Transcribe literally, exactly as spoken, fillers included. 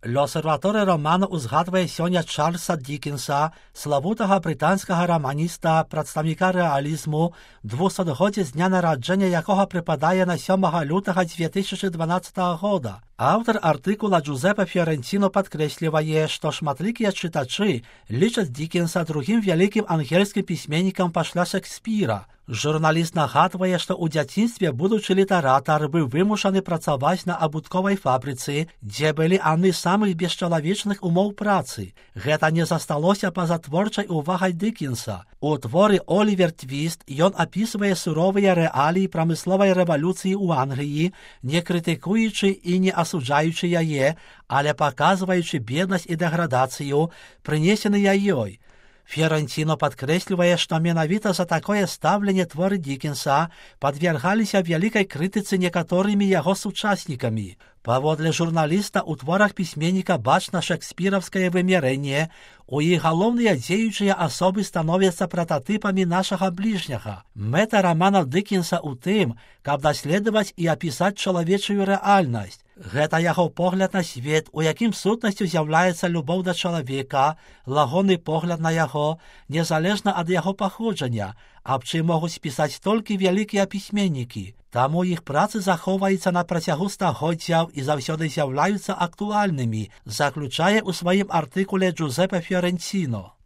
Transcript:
L'Osservatore роману узгадвае сёння Чарльза Дікенса, славутага брытанскага раманіста, прадстаўніка рэалізму, двухсотгоддзе з дня нараджэння якога прыпадае на сёмага лютага дзве тысячы дванаццатага года. Аўтар артыкула Джузепе Фіорэнціно падкрэслівае, што шматлікія чытачы лічаць Дікенса другім вялікім ангельскім пісьменнікам пасля Шекспіра. Журналіст нагадвае, што ў дзяцінстве будучы літаратар быў вымушаны працаваць на абутковай фабрыцы, дзе былі адны з самых бесчалавечных умоў працы. Гэта не засталося па-за творчай увагай Дікенса. У творы «Олівер Твіст» ён апісвае суровыя рэаліі прамысловай рэвалюцыі ў Англіі, не крытыкуючы і не асуджаючы яе, але паказваючы беднасць і дэградацыю, прынесеныя ёй. Фіорэнціно падкрэслівае, што менавіта за такое стаўленне творы Дікенса падвергаліся вялікай крытыцы некаторымі яго сучаснікамі. Паводле журналіста, у творах пісьменніка бачна шекспіраўскае вымярэнне, у іх галоўныя дзеючыя асобы становяцца прататыпамі нашага бліжняга. Мэта рамана Дікенса ў тым, каб даследаваць і апісаць чалавечую рэальнасць. Гэта яго погляд на свет, у якім сутнасцю з'яўляецца любоў да чалавека, лагодны погляд на яго, незалежна ад яго паходжання, аб чым могуць пісаць толькі вялікія пісьменнікі. Таму іх працы захоўваюцца на працягу стагоддзяў і заўсёды з'яўляюцца актуальнымі, заключае ў сваім артыкуле Джузепе Фіорэнціно.